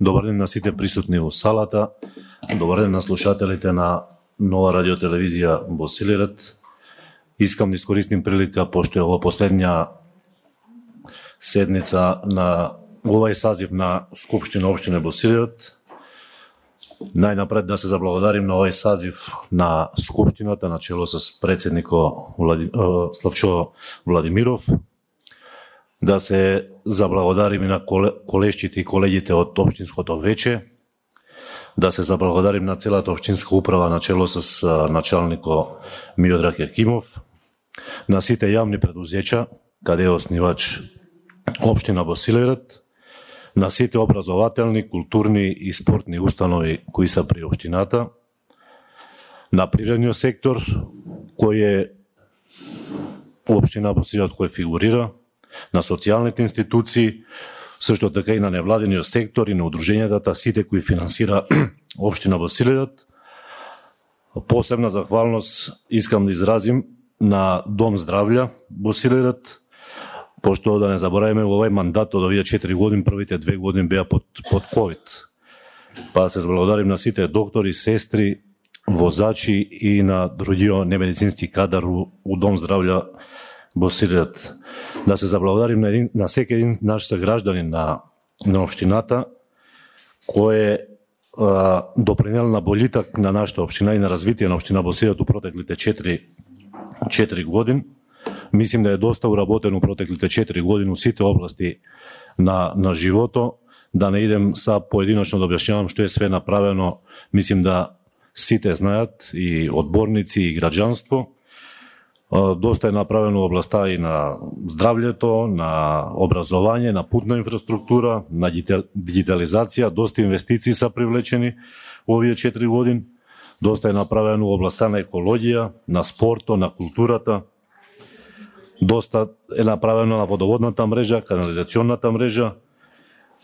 Добар ден на сите присутни во салата. Добар ден на слушателите на Нова радиотелевизија Босилират. Искам да искористим прилика, пошто е ова последња седница на овај сазив на Скупштина општина Босилират. Најнапред да се заблагодарим на овај сазив на Скупштината на чело с председнико Славчо Владимиров. Да се заблагодарим и на колешките и колегите од општинското вече. Да се заблагодарим на целата општинска управа на чело с началнико Миодраг Екимов. На сите јавни предузеќа, каде е основач општина Босилират. На сите образователни, културни и спортни установи кои се при општината. На природниот сектор, кој е општина Босилират кој фигурира. На социјалните институции, сушто така и на невладениот сектор и на удруженијата, сите кои финансира општина Босилират. Посебна захвалност искам да изразим на Дом здравља Босилират, пошто да не забораваме во овај мандат од овие 4 години, првите 2 години беа под ковид. Па се заблагодарим на сите доктори, сестри, возачи и на другиот немедицински кадар у Дом здравља Босилират. Да се заблагодарим на секој един наш согражданин на општината кој е допринел на болитак на нашата општина и на развитие на општина Босилират у протеклите 4 години. Мислим да е доста уработено у протеклите 4 години у сите области на живото. Да не идем са поединочно да објаснявам што е све направено. Мислим да сите знаат, и одборници и граѓанство. Доста е направено во областа и на здравјето, на образование, на путна инфраструктура, на дигитализација. Доста инвестиции са привлечени во овие 4 години. Доста е направено во областа на екологија, на спорто, на културата. Доста е направено на водоводната мрежа, канализационната мрежа.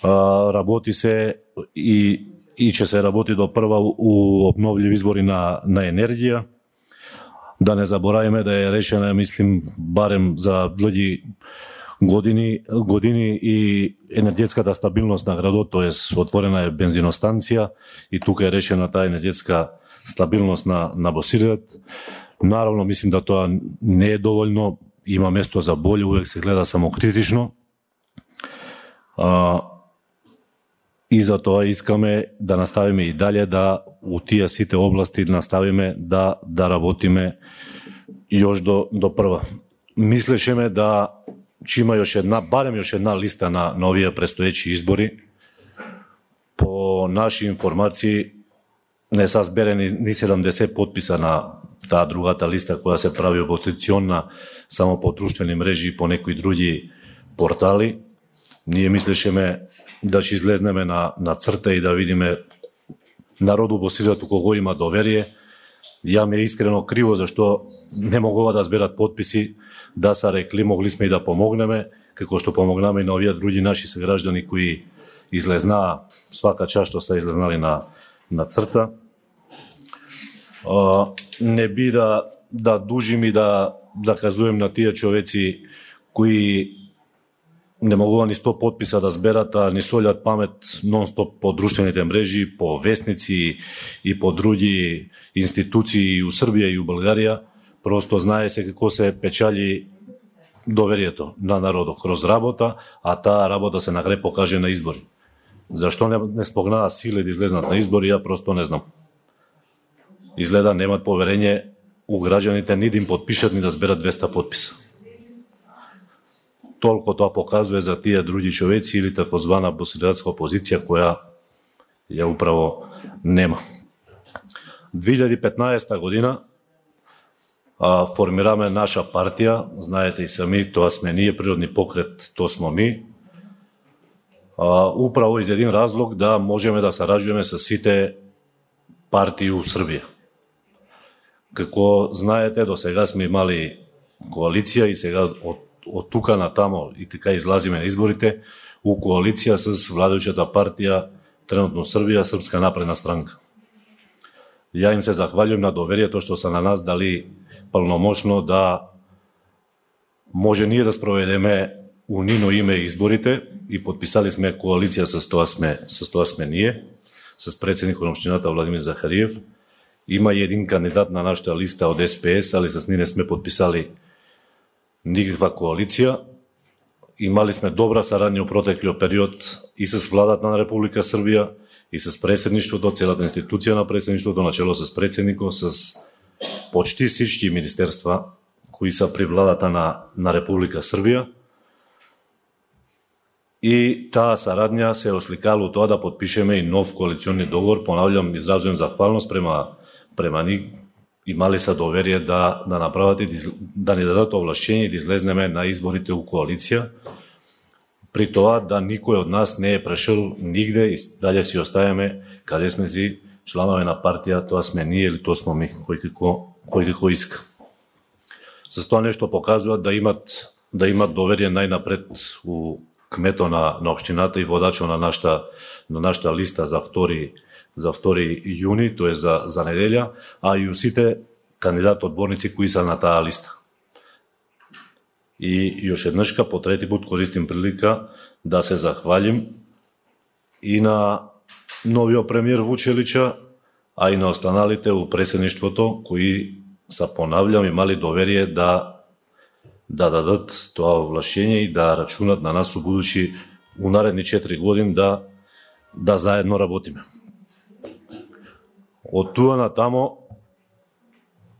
Работи се и ќе се работи до прва у обновливи извори на енергија. Да не забораваме да е решена, мислим, барем за длги години и енергетската стабилност на градот, т.е. отворена е бензиностанција и тука е решена таа енергетска стабилност на Босилират. Наравно, мислим да тоа не е доволно, има место за боле, увек се гледа самокритично. И за тоа искаме да наставиме и дале да у тие сите области наставиме да работиме још до прва. Мислешеме да че има барем још една листа на овие престоечи избори. По наши информации не се зберени ни 70 подписа на таа другата листа која се прави опозиционна само по друштвени мрежи и по некои други портали. Ние мислешеме да ќе излезнеме на црта и да видиме народу Босилират у кого има доверие. Ја ми е искрено криво зашто не могува да зберат подписи, да са рекли могли сме и да помогнеме, како што помогнаме и на овие други наши сограждани кои излезнаа свака час што се излезнали на црта. Не би да дужим и да казуем на тие човеци кои не могува ни 100 подписа да зберат, а ни солјат памет нон-стоп по друштвените мрежи, по вестници и по други институции у Србија и у Българија. Просто знае се како се печали доверието на народот кроз работа, а таа работа се нагре покаже на избори. Зашто не спогнаа силе да излезнат на избори, ја просто не знам. Изгледа немат поверење у граѓаните ни да им подпишат ни да зберат 200 подписа. Толку тоа показува за тие други човеци или такозвана босилиратска опозиција која ја управо нема. 2015 година формираме наша партија, знаете и сами, тоа сме ние, Природни покрет, тоа смо ми. Управо из един разлог да можеме да сараѓуваме со сите партии у Србија. Како знаете, до сега сме имали коалиција и сега од тука на тамо и така излазиме на изборите у коалиција с владеучата партија тренутно Србија, Српска напредна странка. Ја им се захвалјувам на доверието што се на нас дали полномошно да може ние да спроведеме у нино име изборите и подписали сме коалиција со тоа сме ние, с председникот на општината Владимир Захариев. Има и един кандидат на нашата листа од СПС, али с ние не сме подписали никаква коалиција. Имали сме добра сарадња у протеклиот период и с владата на Република Србија, и с председништвото, целата институција на председништвото, начело с председникот, с почти всички министерства кои са при владата на Република Србија. И таа сарадња се осликала у тоа да подпишеме и нов коалициони договор. Понавljам, изразувам захвалност према нив. Имали са доверие да направат и да ни дадат овлашчение да излезнеме на изборите у коалиција. При тоа да никој од нас не е прешел нигде и далje си оставаме каде сме си членови на партија, тоа сме ние или тоа сме ми, кој како иска. С тоа нешто покажуваат да имат доверие најнапред у кметот на општината и водачот на нашата листа за 2 јуни, тоа е за неделја, а и у сите кандидати одборници кои са на таа листа. И још еднашка по трети пат користим прилика да се захвалим и на новиот премиер Вучелича, а и на останалите у председништвото кои са, понавljам, имали доверие да дадат тоа овлашчение и да рачунат на нас у будучи у наредни 4 години да заедно работиме. Од туа натамо,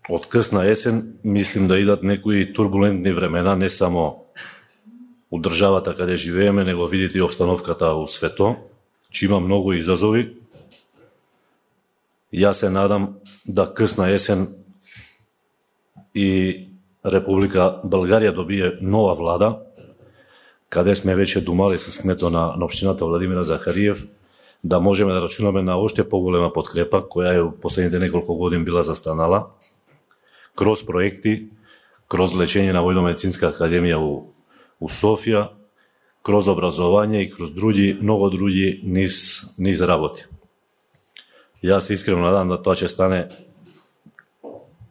од късна есен, мислим да идат некои турбулентни времена, не само у државата каде живееме, него видите и обстановката у свето, че има многу изазови. Јас се надам да късна есен и Република Българија добие нова влада, каде сме веќе думали с кметот на општината Владимира Захариев, да можеме да рачунаме на уште поголема подкрепа, која е последните неколку години била застанала, кроз проекти, кроз лечење на Војно-медицинска академија у Софија, кроз образование и кроз многу други низ работи. Јас се искрено надам да тоа ќе стане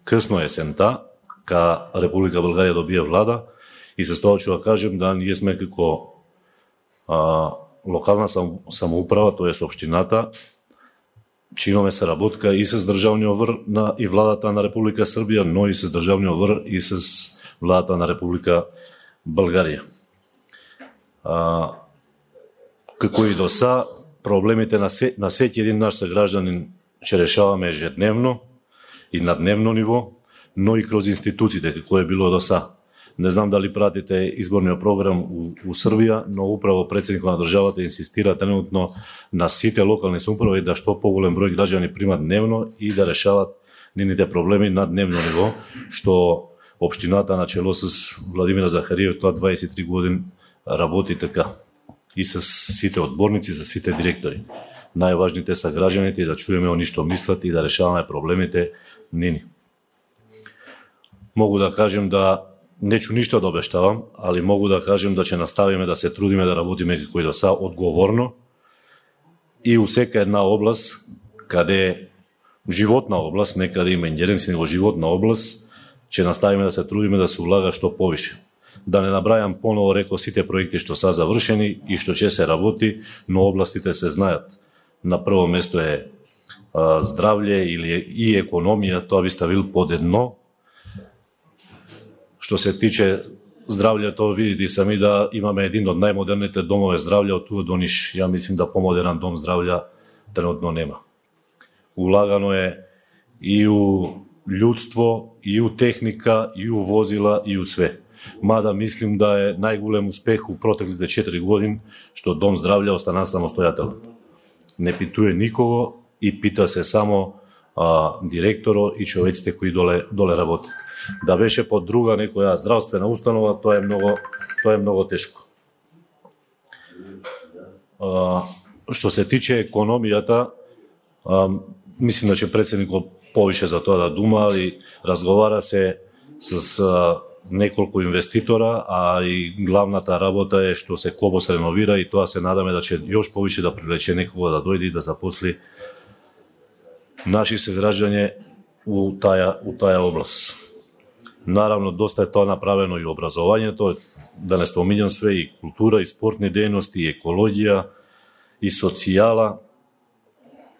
късно есента, ка Република Българија добие влада, и се тоа ќе кажем да ние сме како локална самоуправа, тоа е општината, че имаме соработка и с државниот врв и владата на Република Србија, но и с државниот врв и с владата на Република Българија. Како и до са, проблемите на секи един наш согражданин ќе решаваме ежедневно и на дневно ниво, но и кроз институциите, како е било до са. Не знам дали пратите изборниот програм у Србија, но управо председникот на државата инсистира тренутно на сите локални самоуправи да што поголем број граѓани примат дневно и да решават нивните проблеми на дневно ниво, што општината начело с Владимира Захариев тоа 23 години работи така. И с сите одборници, с сите директори. Најважните са граѓаните и да чуеме они што мислат и да решаваме проблемите нини. Могу да кажем да нечу ништо да обештавам, али могу да кажем да ќе наставиме да се трудиме да работиме како и до са одговорно и у сека една област каде животна област, не каде има ингеренција, него животна област, ќе наставиме да се трудиме да се улага што повише. Да не набрајам поново реко сите проекти што са завршени и што ќе се работи, но областите се знаат. На прво место е здравје или и економија, тоа би ставил под едно. Што се тиче здравјето, видите сами да имаме един од најмодерните домове здравје од туа до Ниш. Ја мислим да помодерен дом здравје тренутно нема. Улагано е и у људство, и у техника, и у возила, и у све. Мада мислим да е најголем успех у протеклите 4 години што дом здравје остана самостојателен. Не питуе никого и пита се само директоро и човеците кои доле работат. Да беше под друга некоја здравствена установа, тоа е многу тешко. Што се тиче економијата, мислим да ќе председникот повише за тоа да дума и разговара се с неколку инвеститора, а и главната работа е што се Кобос реновира и тоа се надаме да ќе још повише да привлече некого да дојде и да запосли наши сограѓања у таа област. Наравно, доста е тоа направено и образованието, да не споминјам све, и култура, и спортни дејности, и екологија, и социјала,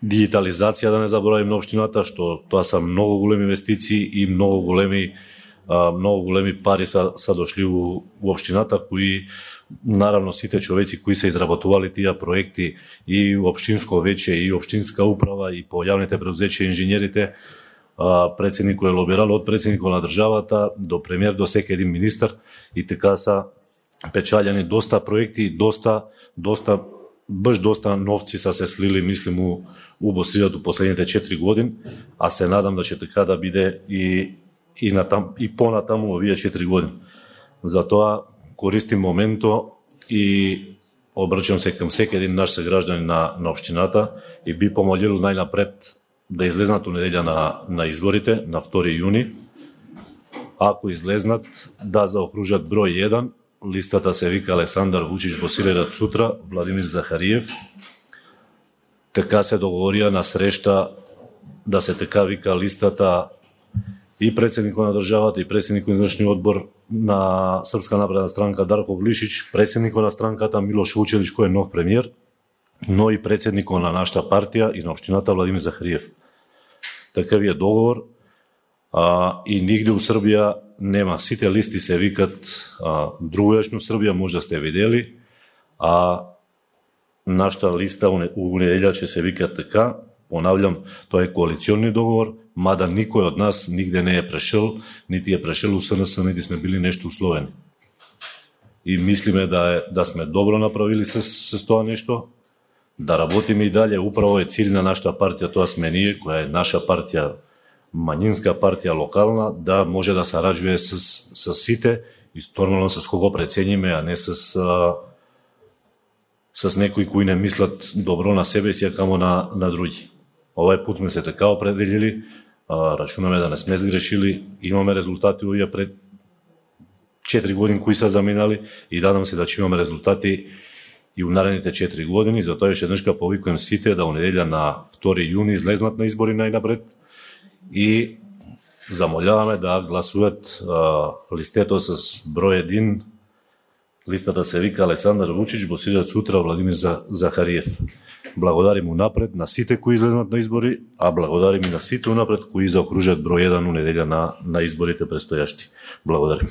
дигитализација, да не заборавим на општината, што тоа се многу големи инвестиции и многу големи пари са дошли у општината, кои наравно сите човеци кои се изработували тие проекти и општинско веќе и општинска управа и по јавните предузеќа инженерите, председникот е лобирал од председникот на државата до премиер до секој един министар, и така са печалјани доста проекти, доста новци са се слили, мислим, у Босилјат у последните 4 години, а се надам да ќе така да биде и понатаму овие 4 години. Затоа користим моменто и обрачам се кам секој един наш согражданин на општината и би помолил најнапред да излезнат у неделја на изборите, на 2 јуни. Ако излезнат, да заокружат број 1, листата се вика Александар Вучич Босилјат сутра, Владимир Захариев. Така се договорија на срешта да се така вика листата и председникот на државата и председникот на извршниот одбор на Српска напредна странка Дарко Глишич, председникот на странката Милош Вучелич кој е нов премиер, но и председникот на нашата партија и на општината Владимир Захариев. Такав е договор, и нигде у Србија нема. Сите листи се викат другојачно Србија, може да сте видели, а нашата листа у неделја ќе се вика така. Понавljам, тоа е коалиционни договор, мада никој од нас нигде не е прешел, нити е прешел у СНС, нити сме били нешто условени. И мислиме да сме добро направили с тоа нешто, да работиме и дале. Управо е цилј на нашата партија, тоа сме ние, која е наша партија, мањинска партија, локална, да може да сараѓuje с сите и нормално с кого прецениме, а не с некои кои не мислат добро на себе си, а камо на други. Овај пут сме се така определили, рачунаме да не сме сгрешили, имаме резултати овие пред 4 години кои се заминали и надам се да ќе имаме резултати и у наредните 4 години. Затоа еше денешка повикувам сите да у неделја на 2 јуни излезнат на избори најнапред и замоляваме да гласуват листето с број 1. Листата се вика Александар Вучич Босилјат сутра, Владимир Захариев. Благодарим унапред на сите кои излезнат на избори, а благодарим и на сите унапред кои заокружат број 1 у неделја на изборите предстојашти. Благодарим.